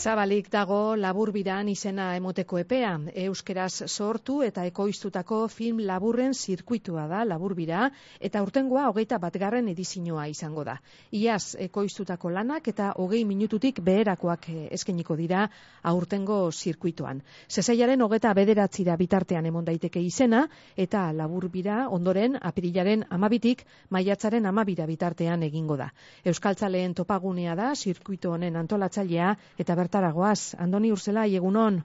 Zabalik dago Laburbiran izena emoteko epea. Euskeraz sortu eta ekoiztutako film laburren zirkuitua da Laburbira, eta aurtengoa 21. edizioa izango da. Iaz ekoiztutako lanak eta 20 minututik beherakoak eskainiko dira aurtengo zirkuituan. Sesaiaren 29 bitartean emon daiteke izena, eta Laburbira ondoren apirilaren 12tik maiatzaren 12 bitartean egingo da. Euskaltzaleen topagunea da zirkuito honen antolatzailea, eta bertaragoaz, Andoni Urzelai, egunon.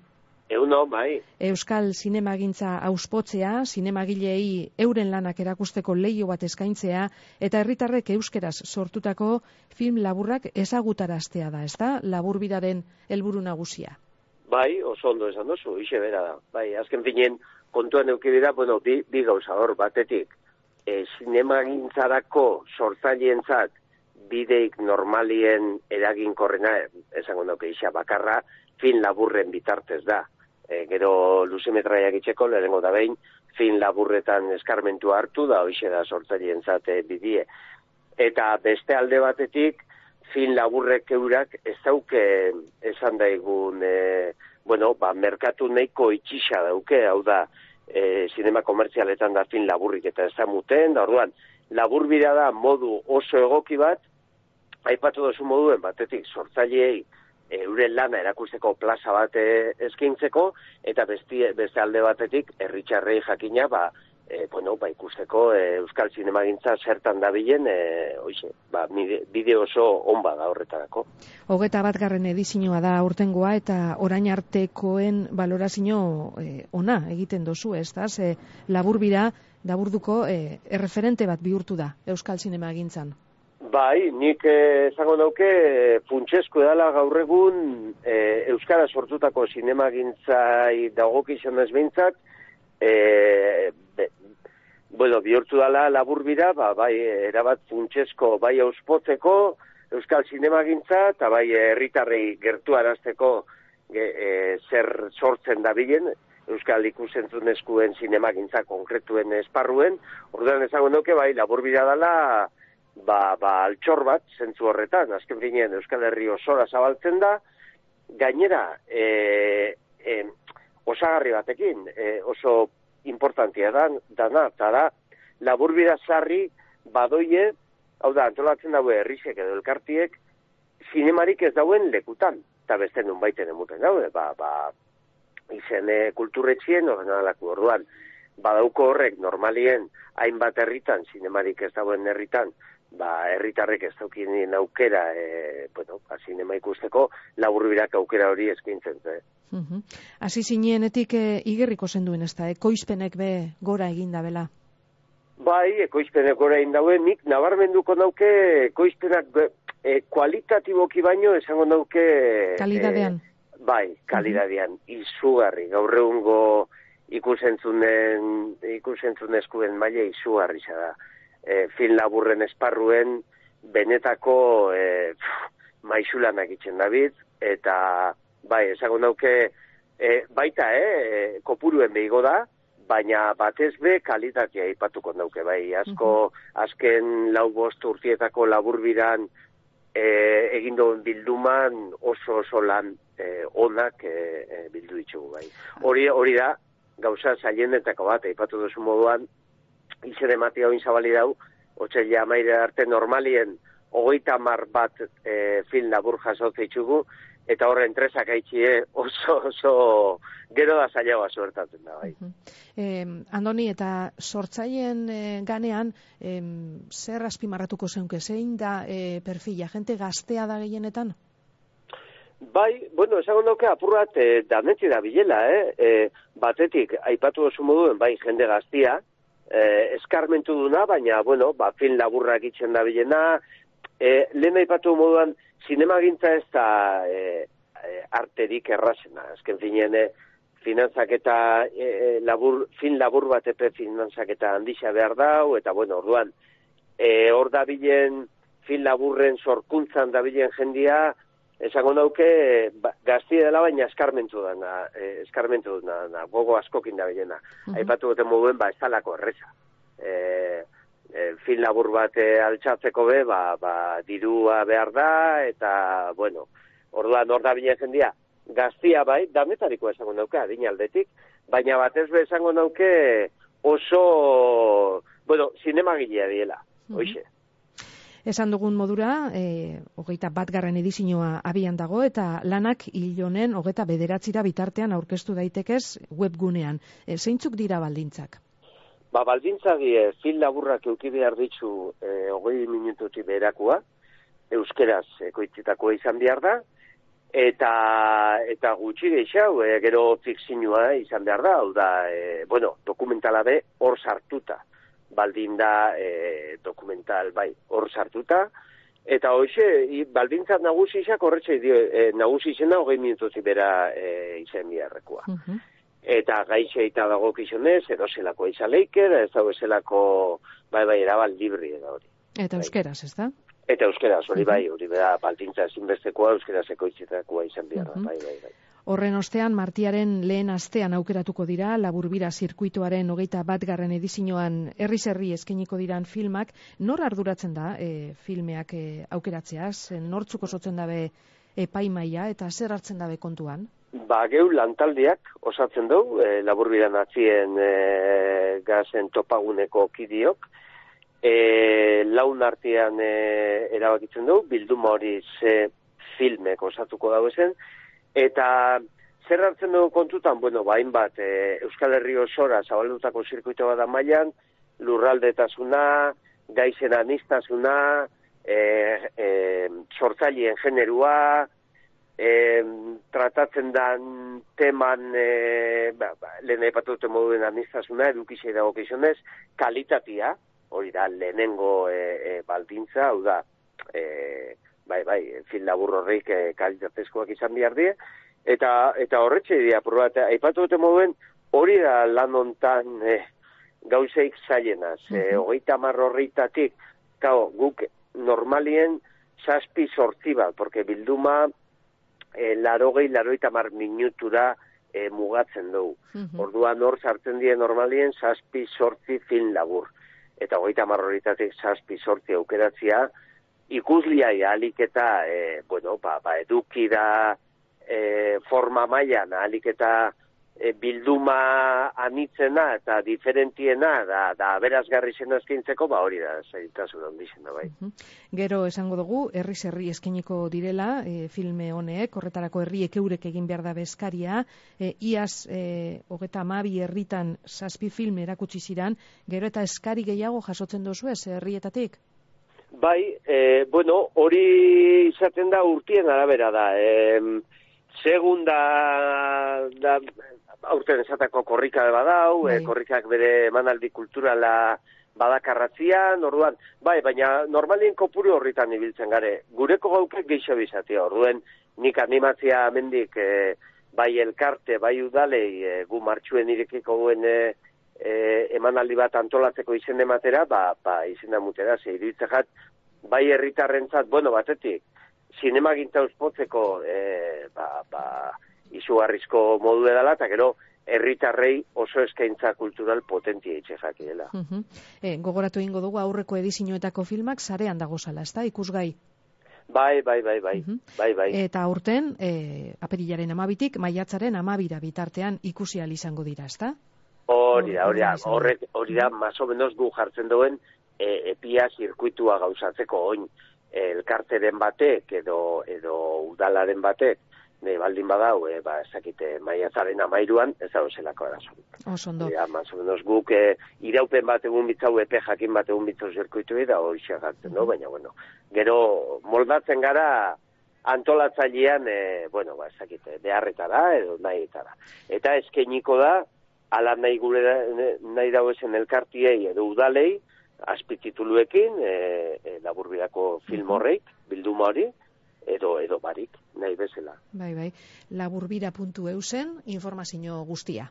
Egunon, bai. Euskal zinemagintza auspotzea, zinemagilei euren lanak erakusteko leiho bat eskaintzea, eta herritarrek euskeraz sortutako film laburrak ezagutaraztea da, ezta? Laburbiraren helburu nagusia. Bai, oso ondo esan duzu, ixe bera da. Bai, azken finen, kontuan eukidira, bueno, bi gauza hor, batetik, zinemagintzarako sortzaileentzat bideik normalien eraginkorrena, esango dauke isa bakarra, film laburren bitartez da. Gero luzimetraiak itxeko, lehenengo da behin, film laburretan eskarmentua hartu da, hoxe da sortzaileentzat bidie. Eta beste alde batetik, film laburrek eurak ez dauke esan daigun, merkatu nahiko itxisa dauke, hau da, zinema komertzialetan da film laburrik eta ez da muten, da orduan, Laburbira da modu oso egoki bat, aipatu duzu moduen batetik sortzaileei euren lana erakusteko plaza bat eskintzeko, eta beste alde batetik herritarrei jakina ikusteko euskal zinemagintza zertan dabilen, bide oso on bada horretarako. 21. edizioa da aurtengoa, eta orain artekoen balorazio ona egiten dozu, ez da? Laburbira Laburduko erreferente bat bihurtu da euskal zinemagintzan. Bai, nik esango dauke funtsezko edala gaur egun euskara sortutako zinemagintzai dagokizan ez behintzat, bihurtu dala Laburbira, bai, erabat funtsezko, bai auspotzeko euskal zinemagintza, eta bai herritarrei gertu arazteko zer sortzen dabilen, euskal ikusentzunezkuen zinemagintza konkretuen esparruen. Orduan esango nuke, bai, Laburbira dela, altxor bat, zentzu horretan, azken finean Euskal Herri osora zabaltzen da, gainera, osagarri batekin, oso importantia dana, eta da, Laburbira sarri badoie, hau da, antolatzen daue herrizek edo elkartiek, zinemarik ez dauen lekutan, eta beste nun baiten emuten daude, izen kulturretxien, ordenalako orduan, badauko horrek normalien hainbat herritan, zinemarik ez dauen herritan, herritarrek ez daukinen aukera, zinema ikusteko, Laburbirak aukera hori eskintzen. Hasi zinenetik igerriko zenduen, ez da, ekoizpenek be gora egin dabela? Bai, ekoizpenek gora egin dauen, nik nabarmenduko nauke ekoizpenak kualitatiboki baino, esango nauke... Kalidadean. Bai, kalidadean, izugarri, gaur egungo ikusentzunezkuen maila izugarri da. Film laburren esparruen benetako maizulanak itzen David, eta bai, esango nauke baita, kopuruen behigo da, baina batez be kalitatea aipatuko nauke, bai, azken 4-5 urtietako Laburbiran egin duen bilduman oso lan onak bildu ditugu, bai. Hori da, gauza zailenetako bat, aipatu duzu moduan, izen ematia oin zabali dau, otxaila amaire arte normalien 30 bat film labur jasotze ditugu, eta horren tresak haitxie oso gero da zailagoa suertatzen da, bai. Andoni, eta sortzaileen ganean, zer azpimarratuko zeunke, zein da perfila, jente gaztea da gehienetan? Bai, esango dauke apurrat danetzi da bilela, batetik, aipatu duzu moduen, bai, jende gaztia, eskarmentu duna, baina, film laburrak itzen da bilena, lehen aipatu moduan, zinemagintza ez da arterik errazena, azken finean, finantzaketa film labur bat epe finantzaketa handisa behar dau, eta orduan, hor da bilen film laburren sorkuntzan da bilen jendia, esango dauke gaztia dela, baina eskarmentu duna, gogo askokin da bilena. Aipatu goten moduen, ez talako erreza. Film labur bat altxatzeko be, dirua behar da, eta, Orduan, hor da bine jendia, gaztia bai, dametarikoa esango nauke, adin aldetik, baina batez be esango nauke oso, bueno, zinemagilea diela, hoxe. Esan dugun modura, 21. edizioa abian dago, eta lanak hil honen 29 bitartean aurkeztu daitekez webgunean. Zeintzuk dira baldintzak? Baldintzak film laburrak eduki behar ditzu 20 minututik beherakoa, euskeraz ekoitzitakoa izan behar da, eta gutxi gehiago, gero fikzioa izan behar da, hau da, dokumentala be hor sartuta. Baldin da dokumental, bai, hor sartuta, eta hoxe, baldintzat nagusizak horretxe nagusizena 20 minututik bera izan biharrekoa. Eta gaixe eta dago kizunez, edo zelako izan leiker, ez dago zelako, bai, erabal libri edo hori. Eta euskeraz, ez da? Eta euskeraz, hori bai, hori bera baldintza ezinbestekoa, euskeraz ekoitzitakoa izan behar da, bai. Horren ostean, martiaren lehen astean aukeratuko dira, Laburbira zirkuituaren 21. edizioan herri eskainiko diran filmak. Nor arduratzen da filmeak aukeratzeaz? Nortzuk osotzen dabe epaimaia eta zer hartzen dabe kontuan? Geu lantaldeak osatzen dugu, Laburbiran atzien gazen topaguneko kidiok, laun artean erabakitzen dugu, bilduma hori ze filmek osatuko dago ezen, eta zer hartzen dugu kontutan, hainbat Euskal Herri osora zabaldutako zirkuito bat da mailan, lurraldetasuna, gaizen aniztasuna, sortzaileen generua, tratatzen dan teman, lehen aipatute moduen aniztasuna, edukizia dago kizunez, kalitatea, hori da lehenengo baldintza, hau da, film labur horreik kalitatezkoak izan behar die, eta horretxe dira, aipatu dute moduen, hori da lan hontan gauzeik zailenaz. 30 horreitatik, guk normalien 7-8 bat, porque bilduma 80 minutura mugatzen dugu. Orduan hor sartzen die normalien 7-8 film labur. Eta 30 horreitatik 7-8 aukeratzia, ikusliai ahalik eta, eduki da forma mailan, ahalik eta bilduma anitzena eta diferentiena, da berazgarri zena eskintzeko, hori da, zailtasun handizena, bai. Gero esango dugu, herri eskainiko direla, filme honek, horretarako herriek eurek egin behar da bezkaria, iaz 32 herritan 7 film erakutsi ziran, gero eta eskari gehiago jasotzen dozu ez, herrietatik? Bai, hori izaten da urtien arabera da. Segunda da aurten esatako korrika badau, korrikak bere emanaldi kulturala badakarratzian, orduan, baina normalien kopuru horritan ibiltzen gare. Gureko gaukek geixo bizatea, orduan nik animatzia amendik bai elkarte, bai udalei gu martxuen irekiko guen emanaldi bat antolatzeko izen ematera, izena mutera, iruditzak bai herritarrentzat, batetik, zinemagintza uspotzeko izugarrizko modu edala, eta gero herritarrei oso eskaintza kultural potentia itxezak dela. Gogoratu egingo dugu aurreko edizioetako filmak sarean dago zala, ez da, ikusgai? Bai. Eta aurten, apirilaren 12tik, maiatzaren 12 bitartean ikusi ahal izango dira, ez da? Hori da, más o menos gu jartzen duen epia zirkuitua gauzatzeko oin elkarteren batek edo udalaren batek baldin badau, ezakite maiatzaren 13an, ez da zelako arazorik. Osondo. Más o menos guk iraupen bat egun bitzau, epe jakin bat egun bitzau zirkuitu da hori xagartzen, baina, gero moldatzen gara antolatzailean, ezakite, beharretara edo nahietara. Eta eskainiko da, ala nahi dauezen elkartiei edo udalei, azpitituluekin, Laburbirako film horreik, bilduma hori, edo barik, nahi bezala. Bai, laburbira.eusen informazio guztia.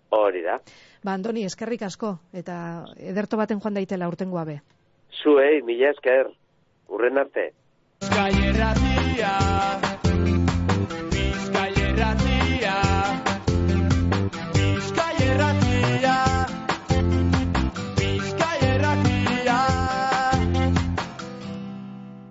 Hori da. Andoni, eskerrik asko, eta ederto baten joan daitela urtengoa be. Zuei, mila esker, urren arte. Gaierratia